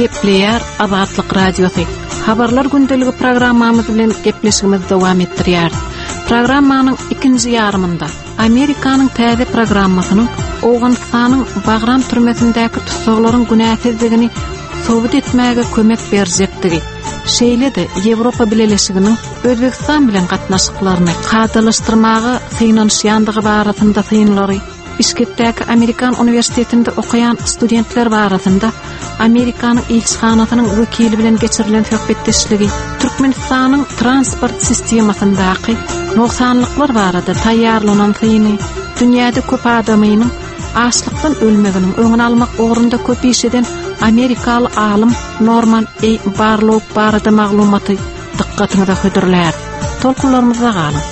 Gepleýär Azatlyk Radiosy. Habarlar gündeligi programmamyz bilen gepleşigimizi dowam etdirýäris. Programmanyň ikinji ýarymynda Amerikanyň täze programmasynyň Owganystanyň Bagram türmesindäki tussaglaryň günäsizdigini subut etmäge kömek berjekdigi, şeýle-de Ýewropa Bileleşiginiň Özbegistan bilen gatnaşyklaryny kadalaşdyrmaga synanyşýandygy barasynda synlary, Bişkekdäki Amerikan uniwersitetinde okaýan studentler barasynda Amerikanyň ilçihanasynyň wekili bilen geçirilen söhbetdeşligi, Türkmenistanyň transport sistemasyndaky nogsanlyklar barada taýýarlanan syny, dünýäde köp adamynyň açlykdan ölmeginiň öňüni almak ugrunda köp iş eden amerikaly alym Norman A. Barlow barada maglumaty dykgatyňyza hödürläris. Tolkunlarymyzda galyň!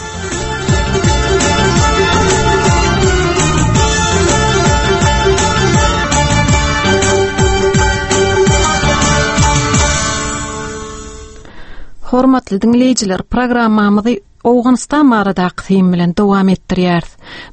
Hormatly diňleýjiler, programmamyzy Owganystan baradaky syn bilen dowam etdirýäris.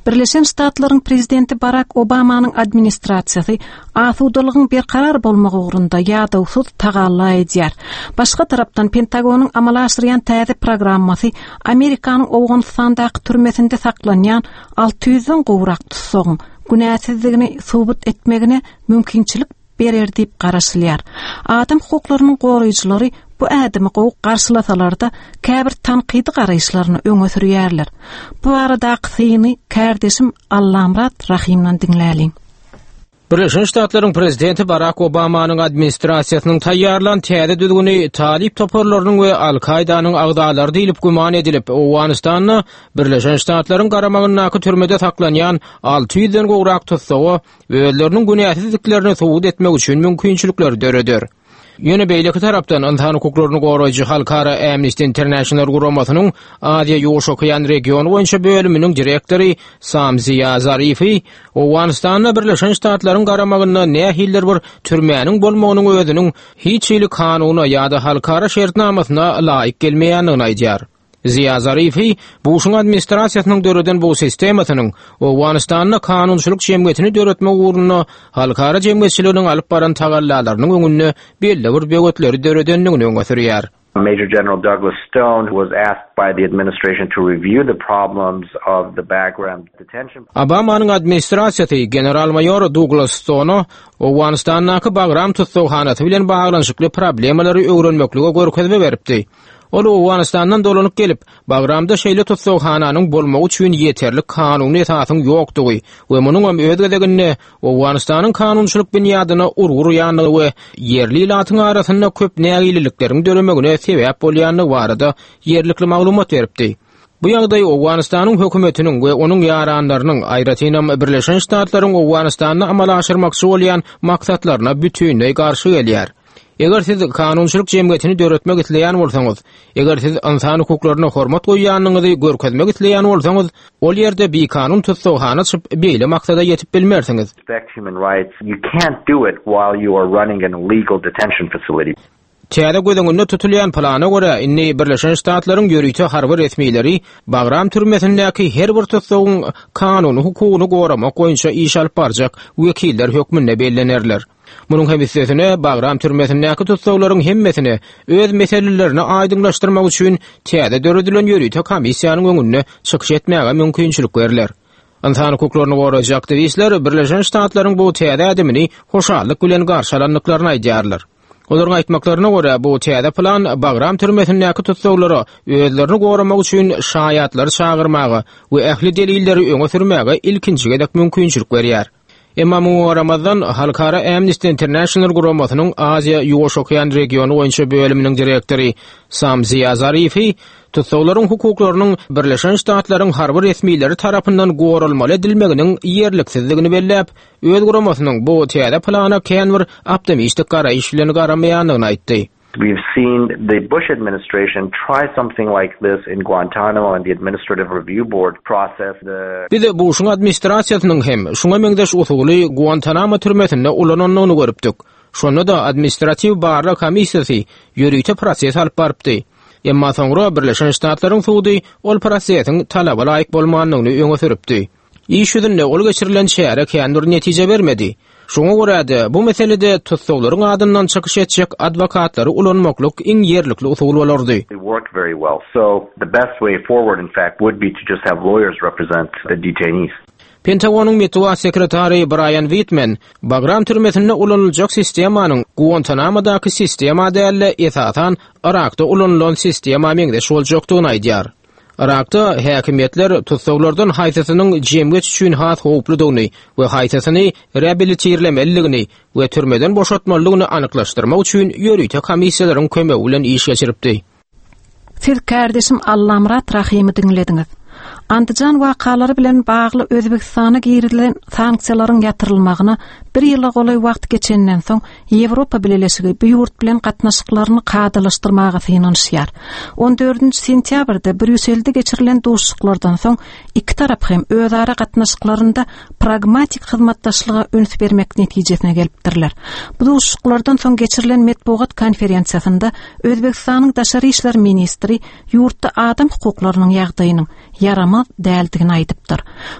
Birleşen Ştatlaryň prezidenti Barak Obamanyň administrasiýasy asudalygyň berkarar bolmagy ugrunda ýadawsyz tagalla edýär. Başga tarapdan Pentagonyň amala aşyrýan täze programmasy Amerikanyň Owganystandaky türmesinde saklanýan 600-den gowrak tussagyň günäsizdigini subut etmegine mümkinçilik berer diýip garaşylýar. Adam hukuklarynyň goraýjylary bu ädimi gowy garşylasalar-da, käbir tankydy garaýyşlaryny öňe sürýärler. Bu baradaky syny kärdeşim Allamyrat Rahymdan diňläliň. Birleşen Ştatlaryň prezidenti Barak Obamanyň administrasiýasynyň taýýarlan täze düzgüni talyp toparlarynyň we Al-Kaýdanyň agzalary diýlip güman edilip, Owganystanda Birleşen Ştatlaryň garamagyndaky türmede saklanýan 600-den gowrak tussaga özleriniň günäsizdiklerini subut etmek üçin mümkinçilikleri döreder. Ýöne beýleki tarapdan ynsan hukuklaryny goraýjy halkara Amnesty International guramasynyň Aziýa-Ýuwaş okean regiony boýunça bölüminiň direktory Sam Ziýa Zarifi Owganystanda Birleşen Ştatlaryň garamagynda nähilidir bir türmäniň bolmagynyň özüniň hiç hili kanuna ýa-da halkara şertnamasyna laýyk gelmeýändigini aýdýar. Ziýa Zarifi Buşuň administrasiýasynyň döreden bu sistemasynyň Owganystanda kanunçylyk jemgyýetini döretmek ugrunda halkara jemgyýetçiliginiň alyp baran tagallalarynyň öňünde belli bir böwetleri döredendigini öňe sürýär. Major General Douglas Stone was asked by the administration to review the problems of the Bagram detention. Obamanyň administrasiýasy general-maýor Duglas Stona Owganystandaky Bagram tussaghanasy bilen baglanyşykly problemalary öwrenmeklige görkezme beripdi. Ol Owganystandan dolanyp gelip, Bagramda şeýle tussaghananyň bolmagy üçin ýeterlik kanuny esasyň ýokdugy we munuňam öz gezeginde Owganystanyň kanunçylyk binýadyna urgy urýandygy we ýerli ilatyň arasynda köp nägilelikleriň döremegine sebäp bolýandygy barada ýerlikli maglumat beripdi. Bu ýagdaý Owganystanyň hökümetiniň we onuň ýaranlarynyň, aýratynam Birleşen Ştatlaryň Owganystanda amala aşyrmakçy bolýan maksatlaryna bütinleý garşy gelýär. Eger siz kanunçylyk jemgyýetini döretmek isleýän bolsaňyz, eger siz ynsan hukuklaryna hormat goýýanyňyzy görkezmek isleýän bolsaňyz, ol ýerde bikanun tussaghana açyp, beýle maksada ýetip bilmersiňiz. Täze göz öňünde tutulýan plana görä, indi Birleşen Ştatlaryň ýörite harby resmileri Bagram türmesindäki her bir tussagyň kanuny hukugyny goramak boýunça iş alyp barjak wekiller hökmünde bellenerler. Munuň hem üstesine, Bagram türmesindäki tussaglaryň hemmesine öz meselelerini aýdyňlaşdyrmak üçin täze döredilen ýörite komissiýanyň öňünde çykyş etmäge mümkinçilik berler. Ynsan hukuklaryny goraýjy aktiwistler Birleşen Ştatlaryň bu täze ädimini hoşallyk bilen garşy alandyklaryny aýdýarlar. Olaryň aýtmaklaryna görä, bu täze plan Bagram türmesindäki tussaglara özlerini goramak üçin şaýatlary çagyrmaga we ähli delilleri öňe sürmäge ilkinji gezek mümkinçilik berýär. Emma muňa garamazdan, halkara Amnesty International guramasynyň Aziýa-Ýuwaş okean regiony boýunça bölüminiň direktory Sam Ziýa Zarifi tussaglaryň hukuklarynyň Birleşen Ştatlaryň harby resmileri tarapyndan goralmaly edilmeginiň ýerliksizdigini belläp, öz guramasynyň bu täze plana kän bir optimistik garaýyş bilen garamaýandygyny aýtdy. We've seen the Bush administration try something like this in Guantanamo and the Administrative Review Board process. The. Biz Buşuň administrasiýasynyň hem şuňa meňzeş usuly Guantanamo türmesinde ulanandygyny görüpdik. Şonda-da Administratiw barlag komissiýasy ýörite proses alyp barypdy. Emma soňra Birleşen Ştatlaryň sudy ol prosesiň talaba laýyk bolmandygyny öňe sürüpdi. Iş ýüzünde ol geçirilen çäre kän bir netije bermedi. Şoňa görä-de, bu meselede tussaglaryň adyndan çykyş etjek adwokatlary ulanmaklyk iň ýerlikli usul bolardy. Work very well. So, the best way forward, in fact, would be to just have lawyers represent the detainees. Pentagonyň metbugat sekretary Braýan Witmen Bagram türmesinde ulanyljak sistemanyň Guantanamadaky sistema däl-de, esasan, Yrakda ulanylan sistema meňzeş boljakdygyny aýdýar. Yrakda häkimiýetler tussaglardan haýsysynyň jemgyýet üçin has howpludygyny we haýsysyny reabilitirlemelidigini we türmeden boşatmalydygyny anyklaşdyrmak üçin ýörite komissiýalaryň kömegi bilen iş geçiripdi. Siz kärdeşim Allamyrat Rahymy diňlediňiz. Andijan wakalary bilen bagly Özbegistana girizilen sanksiýalaryň ýatyrylmagyna bir ýyla golaý wagt geçenden soň, Ýewropa Bileleşigi bu ýurt bilen gatnaşyklaryny kadalaşdyrmaga synanyşýar. On dördünji sentýabrda Brýusselde geçirilen duşuşyklardan soň, iki tarap hem özara gatnaşyklarynda pragmatik hyzmatdaşlyga üns bermek netijesine gelipdirler. Bu duşuşyklardan soň geçirilen metbugat konferensiýasynda Özbegistanyň daşary işler ministri ýurtda adam hukuklarynyň ýagdaýynyň ýaramaz däldigini aýdypdyr.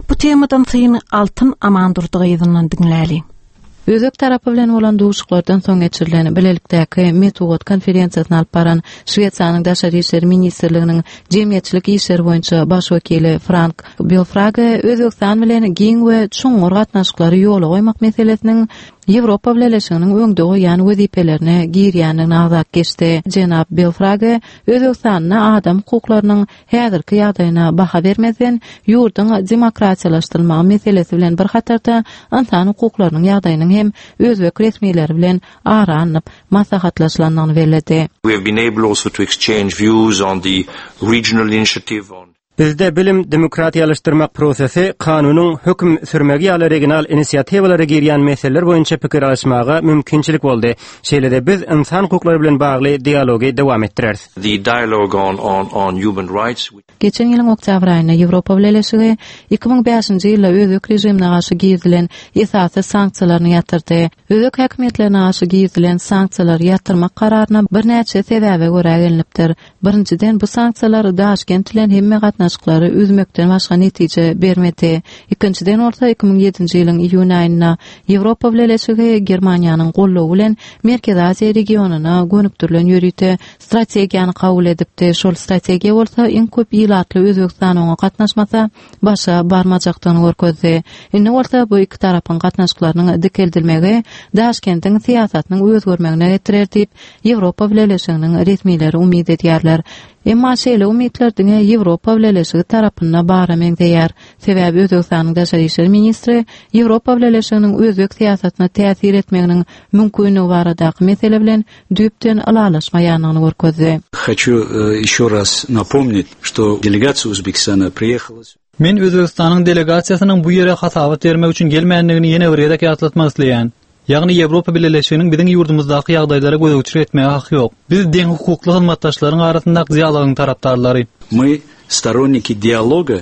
Bu temadan syny Altyn Amandurdy gyzyndan diňläliň. Özbek tarapy bilen bolan duşuşyklardan soň geçirilen bilelikdäki metbugat konferensiýasyny alyp baran Şwesiýanyň Daşary işler ministrliginiň jemgyýetçilik işleri boýunça baş wekili Frank Belfrage Özbegistan bilen giň we çuňňur gatnaşyklary ýola goýmak meselesiniň Ýewropa Bileleşiginiň öňde goýýan wezipelerine girýändigini agzap geçdi. Jenap Belfrage Özbegistanda adam hukuklarynyň häzirki ýagdaýyna baha bermezden, ýurduň demokratiýalaşdyrylmagy meselesi bilen bir hatarda ynsan hukuklarynyň ýagdaýynyň hem özbek resmileri bilen ara alnyp maslahatlaşylandygyny belledi. We have been able also to exchange views on the regional initiative on. Bizde bilim, demokratiýalaşdyrmak prosesi, kanunyň höküm sürmegi ýaly regional inisiatiwalara girýän meseleler boýunça pikir alyşmaga mümkinçilik boldy. Şeýle-de biz ynsan hukuklary bilen bagly dialogy dowam etdireris. The dialogue on on on human rights. Geçen ýylyň oktýabr aýynda Ýewropa Bileleşigi 2005-nji ýylda özbek režimine garşy girizilen esasy sanksiýalaryny ýatyrdy. Özbek häkimiýetlerine garşy girizilen sanksiýalary ýatyrmak kararyna birnäçe sebäbe görä gelnipdir. Birinjiden, bu sanksiýalar Daşkent bilen hemme gatnaşyklary üzmekden başga netije bermedi. Ikinjiden bolsa, 2007-nji ýylyň iýun aýynda Ýewropa Bileleşigi Germaniýanyň goldawy bilen Merkezi Aziýa regionyna gönükdirilen ýörite strategiýany kabul edipdi. Şol strategiýa bolsa iň köp ilatly Özbegistan oňa gatnaşmasa, başa barmajakdygyny görkezdi. Indi bolsa bu iki tarapyň gatnaşyklarynyň dikeldilmegi Daşkentiň syýasatynyň özgermegine getirer diýip, Ýewropa Bileleşiginiň resmileri umyt edýärler. Emma şeýle umytlar diňe Ýewropa Bileleşigi tarapynda bara meňzeýär. Sebäbi Özbegistanyň daşary işler ministri Ýewropa Bileleşiginiň özbek syýasatyna täsir etmeginiň mümkinligi baradaky mesele bilen düýpden ylalaşmaýandygyny görkezdi. Haçu еще raz napomnit, что delegasiýa Uzbekistana priýehala. Men Özbegistanyň delegasiýasynyň bu ýere hasabat bermek üçin gelmändigini ýene bir gezek ýatlatmak isleýän. Ýagny Ýewropa Bileleşiginiň biziň ýurdumyzdaky ýagdaýlara gözegçilik etmäge haky ýok. Biz deňhukukly hyzmatdaşlaryň arasyndaky dialogyň tarapdarlary. My storonniki dialoga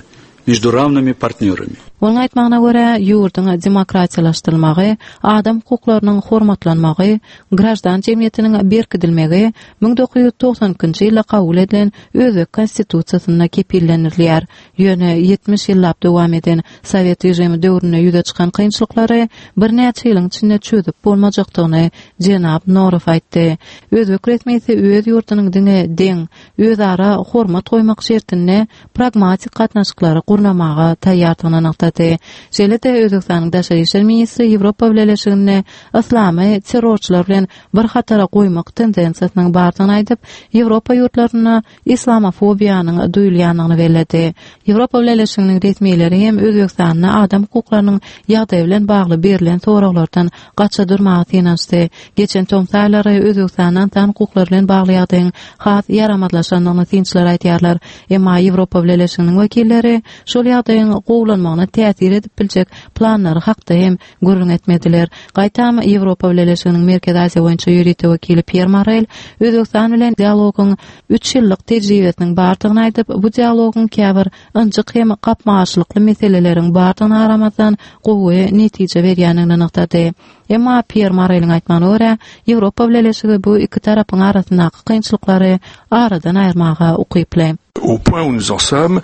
между rawnymi partnýorami. Onuň aýtmagyna görä, ýurduň demokratiýalaşdyrylmagy, adam hukuklarynyň hormatlanmagy, graždan jemgyýetiniň berkidilmegi 1992-nji ýylda kabul edilen özbek Konstitusiýasynda kepillendirilýär. Ýöne 70 ýyllap dowam eden sowet režimi döwründe ýüze çykan kynçylyklary birnäçe ýylyň içinde çözüp bolmajakdygyny jenap Norow aýtdy. Özbek resmisi öz ýurdunyň diňe deň, özara hormat goýmak şertinde pragmatik gatnaşyklary gurnamaga taýýardygyny nygtady. Şeýle-de Özbegistanyň daşary işler ministri Ýewropa Bileleşiginde yslamy terrorçylar bilen bir hatara goýmak tendensiýasynyň bardygyny aýdyp, Ýewropa ýurtlarynda islamofobiýanyň duýulýandygyny belledi. Ýewropa Bileleşiginiň resmileri hem Özbegistanda adam hukuklarynyň ýagdaýy bilen bagly berlen soraglardan gaça durmaga synanyşdy. Geçen tomus aýlary Özbegistanda ynsan hukuklary bilen bagly ýagdaýyň has ýaramazlaşandygyny synçylar aýdýarlar. Emma Ýewropa Bileleşiginiň wekilleri şol ýagdaýyň gowulanmagyna täsir edip biljek planlary hakda hem gürrüň etmediler. Gaýtam, Ýewropa Bileleşiginiň Merkezi Aziýa boýunça ýörite wekili Pýer Morel Özbegistan bilen dialogyň üç ýyllyk tejribesiniň bardygyny aýdyp, bu dialogyň käbir ynjyk hem gapma-garşylykly meseleleriň bardygyna garamazdan, gowy netije berýändigini nygtady. Emma Pýer Moreliň aýtmagyna görä, Ýewropa Bileleşigi bu iki tarapyň arasyndaky kynçylyklary aradan aýyrmaga ukyply. Au point où nous en sommes,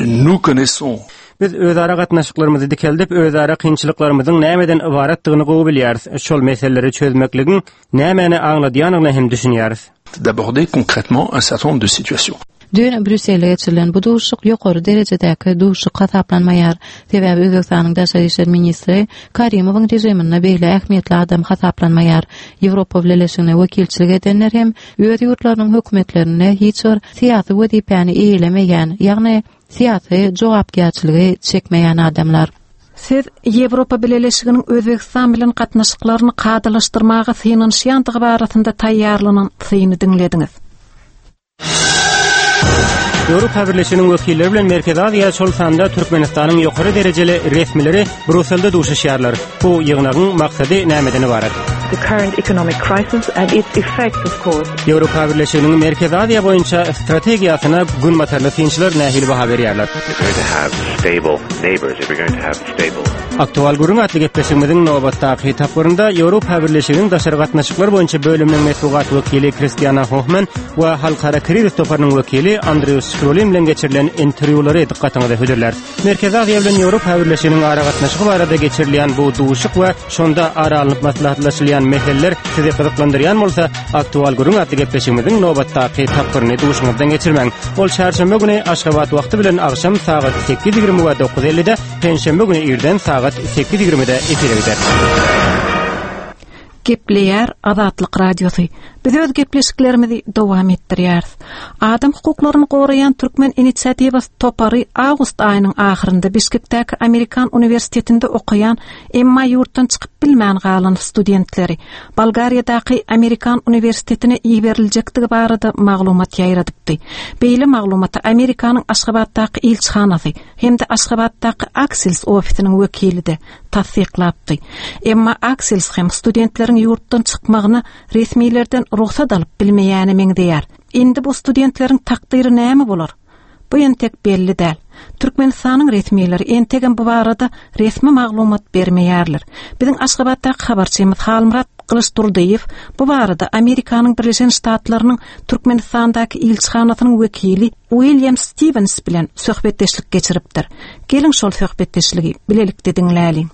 nous connaissons. Biz özara gatnaşyklarymyzy dikeldip, özara kynçylyklarymyzyň nämeden ybaratdygyny gowy bilýäris. Şol meseleleri çözmekligiň nämäni aňladýanyna hem düşünýäris. D'aborder concrètement un certain nombre de situations. Düýn Brýusselde geçirilen bu duşuşyk ýokary derejedäki duşuşyk hasaplanmaýar. Sebäbi Özbegistanyň daşary işler ministri Karimowyň režiminde beýle ähmiýetli adam hasaplanmaýar. Ýewropa Bileleşigine wekilçilik edenler hem öz ýurtlarynyň hökümetlerinde hiç bir syýasy wezipäni eýelemeýän, ýagny syýasy jogapkärçiligi çekmeýän adamlar. Siz Ýewropa Bileleşiginiň Özbegistan bilen gatnaşyklaryny kadalaşdyrmaga synanyşýandygy barasynda taýýarlanan syny diňlediňiz. Ýewropa Birleşiginiň wekilleri bilen Merkezi Aziýa, şol sanda Türkmenistanyň ýokary derejeli resmileri Bruselde duşuşýarlar. Bu ýygnagyň maksady nämeden ybarat? The current economic crisis and its effects, of course. Ýewropa Birleşiginiň Merkezi Aziýa boýunça strategiýasyna günbatarly synçylar nähili baha berýärler? If we're going to have stable neighbors, if we're going to have stable Aktual gürrüň atly gepleşigimiziň nobatdaky tapgyrynda Ýewropa Birleşiginiň daşary gatnaşyklar boýunça bölüminiň metbugat wekili Kristiana Hohman we Halkara krizis toparynyň wekili Andrew Skrulin bilen geçirilen interwýulary dykgatyňyza hödürläris. Merkezi Aziýa bilen Ýewropa Birleşiginiň aragatnaşygy barada geçirilýän bu duşuşyk we şonda ara alnyp maslahatlaşylýan meseleler sizi gyzyklandyrýan bolsa, Aktual gürrüň atly gepleşigimiziň nobatdaky tapgyryny duşuňyzdan geçirmäň. Ol çarşenbe güni Aşgabat wagty bilen agşam sagat 8:20 we 9:50-de, penşenbe güni irden sagat 8:20-de efire gider. Gepleýär Azatlyk Radiosy. Biz öz gepleşiklerimizi dowam etdirýäris. Adam hukuklaryny goraýan Türkmen inisiatiwasy topary awgust aýynyň ahyrynda Bişkekdäki Amerikan uniwersitetinde okaýan, emma ýurtdan çykyp bilmän galan studentleri Bolgariýadaky Amerikan uniwersitetine iberiljekdigi barada maglumat ýaýradypdy. Beýle maglumaty Amerikanyň Aşgabatdaky ilçihanasy hem-de Aşgabatdaky Aksils ofisiniň wekili-de tassyklapdy. Emma Aksils hem studentleriň ýurtdan çykmagyna resmilerden rugsat alyp bilmeýäne meňzeýär. Indi bu studentleriň takdyry näme bolar? Bu entek belli däl. Türkmenistanyň resmileri entegem bu barada resmi maglumat bermeýärler. Biziň Aşgabatdaky habarçymyz Halmyrat Gylyçdurdyýew bu barada Amerikanyň Birleşen Ştatlarynyň Türkmenistandaky ilçihanasynyň wekili Uilýam Stiwens bilen söhbetdeşlik geçiripdir. Geliň şol söhbetdeşligi bilelikde diňläliň.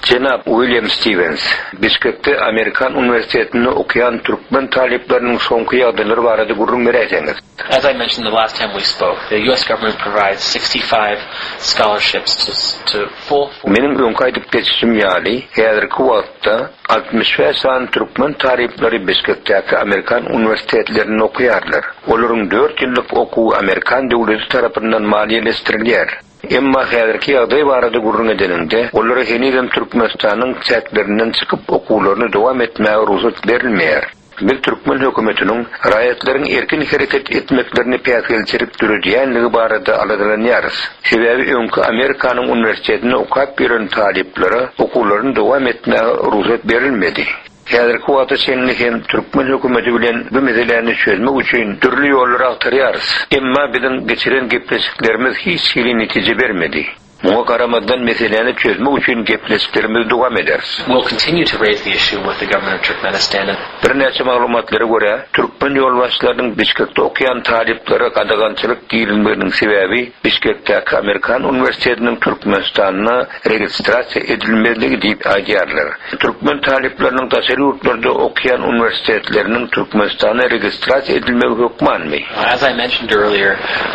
Jenap Uilýam Stiwens, Bişkekde Amerikan uniwersitetinde okaýan türkmen talyplarynyň soňky ýagdaýlary barada gürrüň beräýseňiz? As I mentioned the last time we spoke, the US government provides 65 scholarships to to full. Meniň öňki aýdyp geçişim ýaly, häzirki wagtda 65 sany türkmen talyplary Bişkekdäki amerikan uniwersitetlerinde okaýarlar. Olaryň dört ýyllyk okuwy amerikan döwleti tarapyndan maliýeleşdirilýär. Emma häzirki ýagdaý barada gürrüň edeniňde, olara henizem Türkmenistanyň çäklerinden çykyp okuwlaryny dowam etmäge rugsat berilmeýär. Biz türkmen hökümetiniň raýatlaryň erkin hereket etmeklerine päsgelçilik döredýänligi barada aladalanýarys. Sebäbi öňki Amerikanyň uniwersitetinde okap ýören talyplara okuwlaryny dowam etmäge rugsat berilmedi. Häzirki wagta çenli hem türkmen hökümeti bilen bu meseläni çözmek üçin dürli ýollary agtarýarys. Emma biziň geçiren gepleşiklerimiz hiç hili netije bermedi. Muňa garamazdan meseläni çözmek üçin gepleşiklerimizi dowam ederis. We'll continue to raise the issue with the government of Turkmenistan and. Birnäçe maglumatlara görä, türkmen ýolbaşçylarynyň Bişkekde okaýan talyplara gadagançylyk girizmeginiň sebäbi Bişkekdäki Amerikan uniwersitetiniň Türkmenistanda registrasiýa edilmezligi diýip aýdýarlar. Türkmen talyplarynyň daşary ýurtlarda okaýan uniwersitetleriniň Türkmenistanda registrasiýa edilmegi hökmanmy? As I mentioned earlier,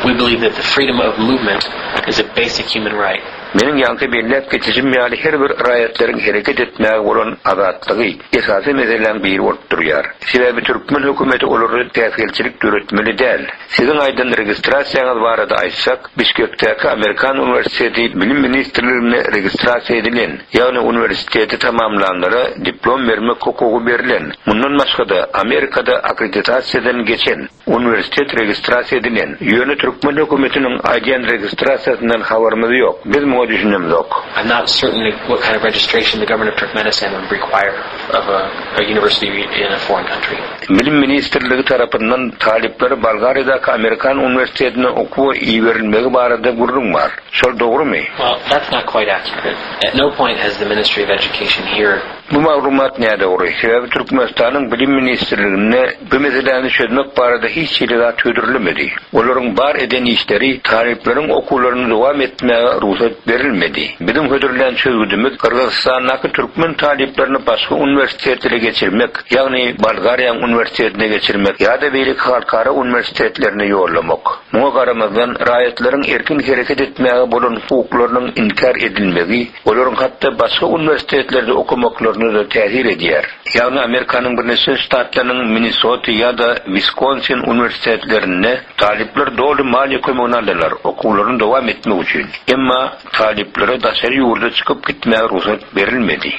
we believe that the freedom of movement is a basic human right. Meniň ýaňky belläp geçişim ýaly her bir raýatlaryň hereket etmäge bolan azatlygy esasy meseläň biri bolup durýar. Sebäbi türkmen hökümeti olara päsgelçilik döretmeli däl. Siziň aýdan registrasiýaňyz barada aýtsak, Bişkekdäki Amerikan uniwersiteti Bilim ministrliginde registrasiýa edilen, ýagny uniwersiteti tamamlanlara diplom bermek hukugy berlen, mundan başga-da, Amerikada akkreditasiýadan geçen, uniwersitet registrasiýa edilen. Ýöne türkmen hökümetiniň aýdýan registrasiýasyndan habarymyz ýok. Biz muňa. Oňa düşünemzok. I'm not certain what kind of registration the government of Turkmenistan would require of a, a university in a foreign country. Bilim ministrligi tarapyndan talyplary Bolgariýadaky Amerikan uniwersitetine okuwa iberilmegi barada gürrüň bar. Şol dogrumy? Well, that's not quite accurate. At no point has the Ministry of Education here Bu maglumat nädogry, sebäbi Türkmenistanyň Bilim ministrliginde bu meseläni çözmek barada hiç hili zat hödürlemedi. Olaryň bar eden işleri talyplaryň okuwlaryny dowam etmäge rugsat berilmedi. Biziň hödürlän çözgüdimiz Gyrgyzystandaky türkmen talyplaryny başga uniwersitetlere geçirmek, ýagny Bolgariýanyň uniwersitetine geçirmek ýa-da beýleki halkara uniwersitetlerine ýollamak. Muňa garamazdan, raýatlaryň erkin hereket etmäge bolan hukuklarynyň inkär edilmegi olaryň hatda başga uniwersitetlerde okamaklaryna-da täsir edýär. Ýagny Amerikanyň Birleşen Ştatlarynyň Minnesota ýa-da Wiskonsin uniwersitetlerinde talyplar doly maliýe kömegini aldylar, okuwlaryny dowam etmek üçin. Emma talyplara daşary ýurda çykyp gitmäge rugsat berilmedi.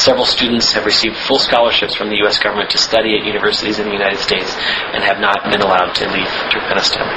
Several students have received full scholarships from the US government to study at universities in the United States and have not been allowed to leave Turkmenistan.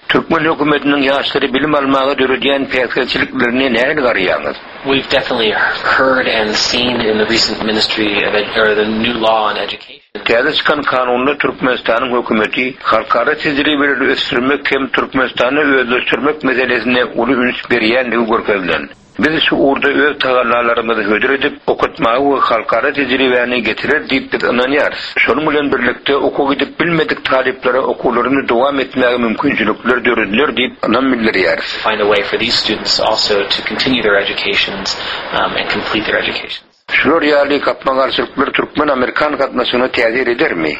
Türkmen hökümetiniň ýaşlara bilim almaga döredýän päsgelçiliklerine nähili garaýaňyz? We've definitely heard and seen in the recent ministry of or the new law on education. Täze çykan kanunda Türkmenistanyň hökümeti halkara tejribeleri ösdürmek hem Türkmenistanda özleşdirmek meselesine uly üns berýändigi görkezilen. Biz şu ugurda öz tagallalarymyzy hödür edip, okatmaga we halkara tejribäni getirer diýip biz ynanýarys. Şonuň bilen birlikde, okuwa gidip bilmedik talyplara okuwlaryny dowam etmäge mümkinçilikler dörediler diýip ynam bildirýäris. Find a way for these students also to continue their educations and complete their educations. Şular ýaly gapma-garşylyklar türkmen-amerikan gatnaşygyna täsir edermi?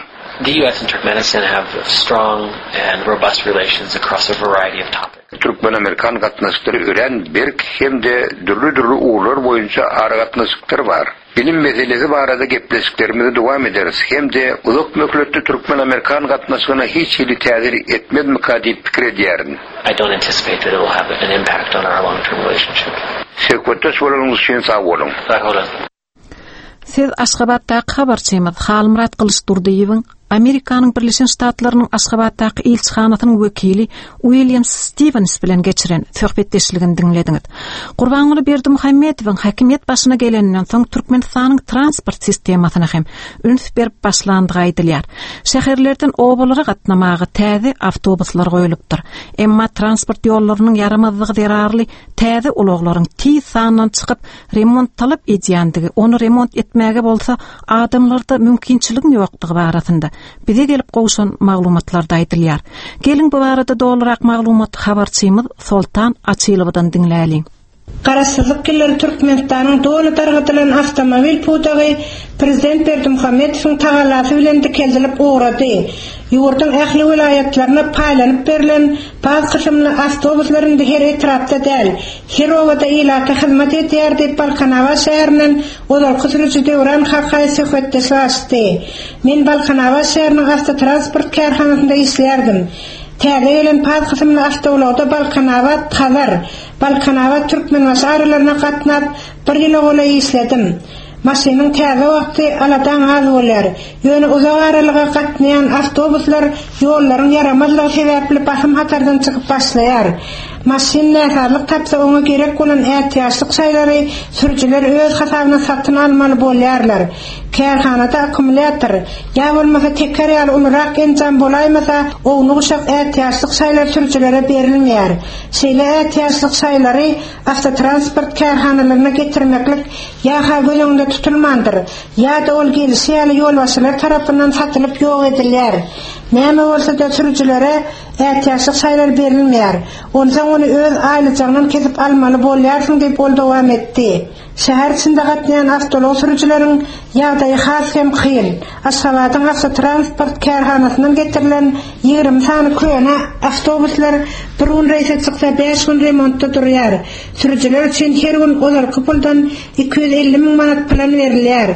The US and Turkmenistan have strong and robust relations across a variety of topics. Türkmen-amerikan gatnaşyklary örän berk hem-de dürli-dürli ugurlar boýunça aragatnaşyklar bar. Bilim meselesi barada gepleşiklerimizi dowam ederis hem-de uzak möhletli türkmen-amerikan gatnaşygyna hiç hili täsir etmezmika diýip pikir edýärin. I don't anticipate that it will have an impact on our long-term relationship. Söhbetdeş bolanyňyz üçin sag boluň. Sag boluň. Siz Aşgabatdaky habarçymyz Halmyrat Gylyçdurdyýewiň Amerikanyň Birleşen Ştatlarynyň Aşgabatdaky ilçihanasynyň wekili Uilýam Stiwens bilen geçiren söhbetdeşligini diňlediňiz. Gurbanguly Berdimuhamedowyň häkimiýet başyna geleninden soň Türkmenistanyň transport sistemasyna hem üns berip başlandygy aýdylýar. Şäherlerden obalara gatnamaga täze awtobuslar goýlupdyr. Emma transport ýollarynyň ýaramazlygy zerarly täze ulaglaryň tiz sandan çykyp, remont talap edýändigi, ony remont etmäge bolsa adamlarda mümkinçiligiň ýokdugy barasynda bize gelip gowşan maglumatlarda aýdylýar. Geliň bu barada dolurak maglumaty habarçymyz Soltan Açylowadan diňläliň. Garaşsyzlyk ýyllary Türkmenistanyň doly dargadylan awtomobil pudagy prezident Berdimuhamedowyň tagallasy bilen dikeldilip ugrady. Ýurduň ähli welaýatlaryna paýlanyp berlen paz kysymly awtobuslar indi her etrapda däl, her obada ilata hyzmat edýär diýip, Balkanabat şäherinden ozalky sürüji Döwran Kakaýew söhbetdeşlik açdy. Men Balkanabat şäheriniň awtotransport kärhanasynda işleýärdim. Täze gelen paz kysymly awtoulagda Balkanabat, Hazar, Balkanabat, Türkmenbaşy aralaryna gatnap, bir ýyla golaý işledim. Maşynyň täze wagty aladaň az bolýar. Ýöne uzak aralyga gatnaýan awtobuslar ýollaryň ýaramazlygy sebäpli basym hatardan çykyp başlaýar. Maşyn näsazlyk tapsa oňa gerek bolan ätiýaçlyk şaýlary sürüjiler öz hasabyna satyn almaly bolýarlar. Kärhanada akkumulýator, ýa bolmasa teker ýaly ulurak enjam bolaýmasa ownuk-uşak ätiýaçlyk şaýlar sürüjilere berilmeýär. Şeýle ätiýaçlyk şaýlary awtotransport kärhanalaryna getirmeklik ýa-ha göz öňünde tutulmandyr, ýa-da ol gelişi ýaly ýolbaşçylar tarapyndan satylyp ýok edilýär. Näme bolsa-da sürüjilere ätiýaçlyk şaýlar berilmeýär. Onsoň ony öz aýlyjagyňdan kesip almaly bolýarsyň diýip ol dowam etdi. Şäher içinde gatnaýan awtoulag sürüjileriň ýagdaýy has hem kyn. Aşgabadyň awtotransport kärhanasyndan getirilen 20 sany köne awtobuslar bir gün reýse çyksa bäş gün remontda durýar. Sürüjiler üçin her gün ozalky puldan 250 müň manat plan berilýär.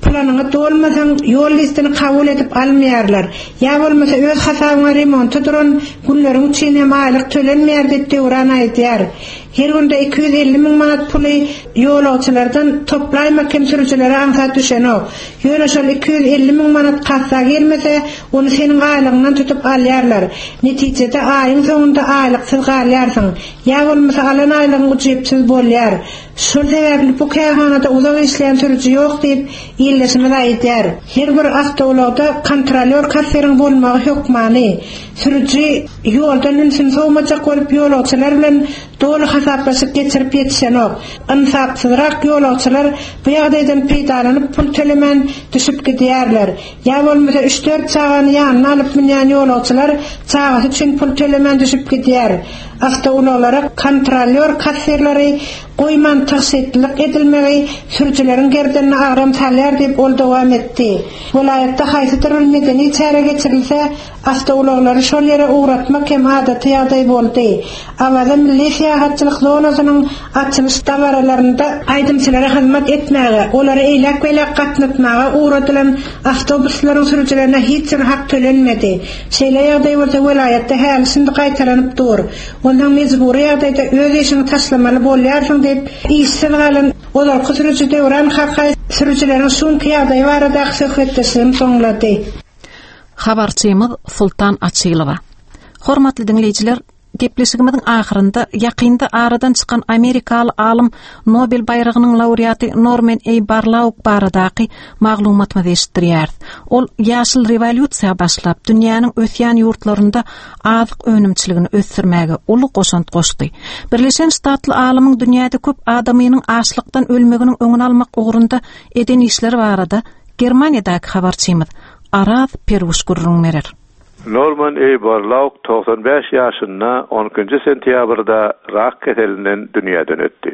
Planyňy dolmasaň, ýol listini kabul edip almaýarlar. Ýa bolmasa öz hasabyňa remonta duran günleriň üçin hem aýlyk tölenmeýär diýip Döwran aýdýar. Her günde 250 müň manat puly ýolagçylardan toplaýmak hem sürüjilere aňsat düşenok. Ýöne şol 250 müň manat kassa girmese, ony seniň aýlygyňdan tutup alýarlar. Netijede aýyň soňunda aýlyksyz galýarsyň. Ýa bolmasa alan aýlygyň ujypsyz bolýar. Şol sebäpli bu kärhanada uzak işleýän sürüji ýok diýip, ildeşimiz aýdýar. Her bir awtoulagda kontrolýor-kassiriň bolmagy hökmany. Sürüji ýoldan ünsüni sowmajak bolup ýolagçylar bilen doly hasaplaşyk geçirip ýetişenok. Ynsapsyzrak ýolagçylar bu ýagdaýdan peýdalanyp pul tölemän düşüp gidýärler. Ýa bolmasa üç-dört çagany ýanyna alyp münýän ýolagçylar çagasy üçin pul tölemän düşüp gidýär. Awtoulaglara kontrolýor-kassirleri goýman tygşytlylyk edilmegi sürüjileriň gerdenine agram salýar diýip ol dowam etdi. Welaýatda haýsydyr bir medeni çäre geçirilse, Awtoulaglary şol ýere ugratmak hem adaty ýagdaý boldy. Awaza milli syýahatçylyk zonasynyň açylyş dabaralarynda aýdymçylara hyzmat etmäge, olary eýläk-beýläk gatnatmaga ugradylan awtobuslaryň sürüjilerine hiç bir hak tölenmedi. Şeýle ýagdaý bolsa welaýatda häli-şindi gaýtalanyp dur. Onsoň mejbury ýagdaýda öz işiňi taşlamaly bolýarsyň diýip, işsiz galan ozalky sürüji Döwran Kakaýew sürüjileriň şu günki ýagdaýy baradaky söhbetdeşligini soňlady. Habarçymyz Sultan Açylowa. Hormatly diňleýjiler, gepleşigimiziň ahyrynda ýakynda aradan çykan amerikaly alym Nobel baýragynyň laureaty Norman A. Barlaug baradaky maglumatymyzy eşitdirýäris. Ol ýaşyl rewolýusiýa başlap, dünýäniň ösýän ýurtlarynda azyk önümçiligini ösdürmäge uly goşant goşdy. Birleşen Ştatly alymyň dünýäde köp adamynyň açlykdan ölmeginiň öňüni almak ugrunda eden işleri barada Germaniýadaky habarçymyz Araz Peruş gürrüň berer. Norman A. Borlaug 95 ýaşynda on ikinji sentýabrda rak keselinden dünýäden ötdi.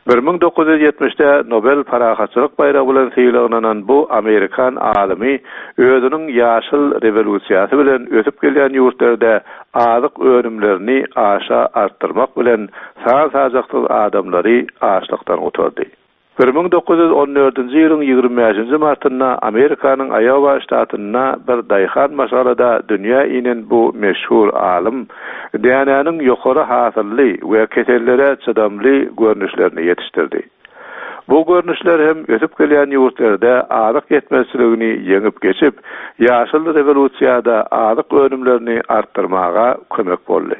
1970-de Nobel parahatçylyk baýragy bilen sylaglanan bu amerikan alymy özüniň ýaşyl rewolýusiýasy bilen ösüp gelýän ýurtlarda azyk önümlerini aşa artdyrmak bilen san-sajaksyz adamlary açlykdan gutardy. 1914-nji ýylyň 25-nji martynda Amerikanyň Aýowa ştatynda bir daýhan maşgalada dünýä inen bu meşhur alym dänäniň ýokary hasylly we kesellere çydamly görnüşlerini ýetişdirdi. Bu görnüşler hem ösüp gelýän ýurtlarda azyk ýetmezçiligini ýeňip geçip, ýaşyl rewolýusiýada azyk önümlerini artdyrmaga kömek boldy.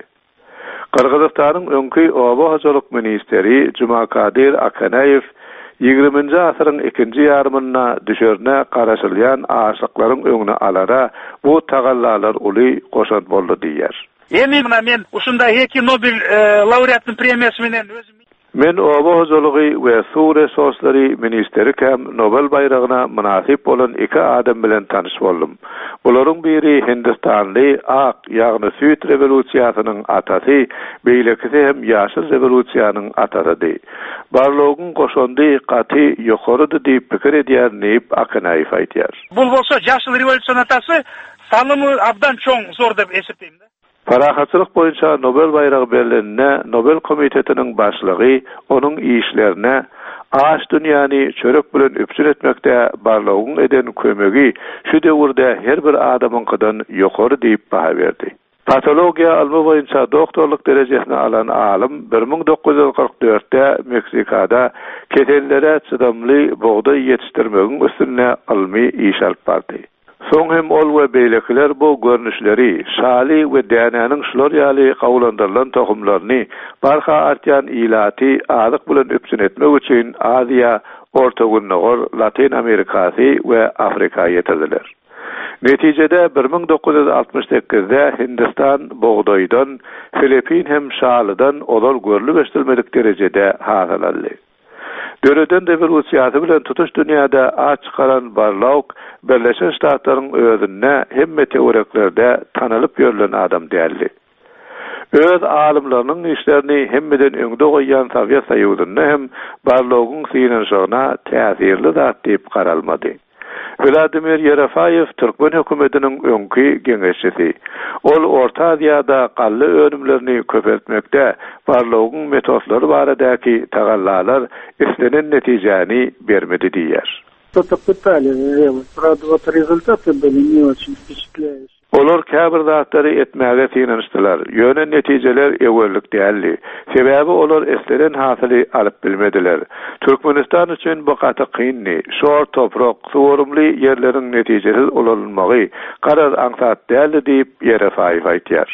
Gyrgyzystanyň öňki oba hojalyk ministri Jumakadyr Akeneýew ýigriminji asyryň ikinji ýarymynda düşerine garaşylýan açlyklaryň öňüni alara bu tagallalar uly goşant boldy diýýär. Emi muna men uşunday eki Nobel laureatnyň premiýasy menen özüm. Men oba hojalygy we suw resurslary ministerikäm Nobel baýragyna mynasyp bolan iki adam bilen tanyş boldum. Bularyň biri hindistanly ak, ýagny süýt rewolýusiýasynyň atasy, beýlekisi hem ýaşyl rewolýusiýanyň atasydy. Barlogyň goşandy gaty ýokarydy diýip pikir edýärin diýip, Akanaýew aýdýar. Bul bolsa ýaşyl rewolýusiýanyň atasy salymy abdan çoň zor dep esepleýmin. Parahatçylyk boýunça Nobel baýragy berleninde Nobel komitetiniň başlygy onuň işlerine aç dünýäni çörek bilen üpjün etmekde Barlogyň eden kömegi şu döwürde her bir adamyňkydan ýokary diýip baha berdi. Patologiýa ylmy boýunça doktorlyk derejesini alan alym 1944-de Meksikada kesellere çydamly bugdaý ýetişdirmegiň üstünde ylmy iş alyp bardy. Soň hem ol we beýlekiler bu görnüşleri, şaly we dänäniň şular ýaly gawulandyrylan tohumlaryny barha artýan ilaty azyk bilen üpjün etmek üçin Aziýa, Orta Gündogar, Latyn Amerikasy we Afrika ýetirdiler. Netijede, 1968-de Hindistan bugdaýdan, Filippin hem şalydan ozal görlüp-eşidilmedik derejede hasyl aldy. Döreden rewolýusiýasy bilen tutuş dünýäde at çykaran Barlaug Birleşen Ştatlaryň özünde hemme töwereklerde tanalyp ýörlen adam däldi. Öz alymlarynyň işlerini hemmeden öňde goýýan Sowet Soýuzynda hem Barlaugyň synanyşygyna täsirli zat diýip garalmady. Wladimir Ýerofaýew türkmen hökümetiniň öňki geňeşçisi. Ol Orta Aziýada galla önümlerini köpeltmekde Barlogyň metodlary baradaky tagallalar islenen netijäni bermedi diýýär. Что-то пытались сделать. Правда, вот результаты были не очень впечатляющие. Olar käbir zatlary etmäge synanyşdylar, ýöne netijeler öwerlik däldi. Sebäbi olar islenen hasyly alyp bilmediler. Türkmenistan üçin bu gaty kyndy. Şor toprak, suwarymly ýerleriň netijesiz ulanylmagy, garaz, aňsat däldi diýip, Ýerefaýew aýdýar.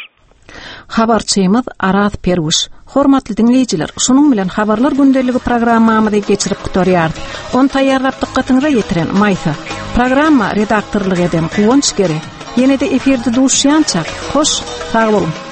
Habarçymyz Araz Perwüş. Hormatly diňleýjiler, şunuň bilen Habarlar gündeligi programmamyzy geçirip gutarýarys. Ony taýýarlap dykgatyňyza ýetiren Maýsa. Programma redaktorlyk eden Guwanç Gere. Ýene-de efirde duşýançak, hoş, sag boluň!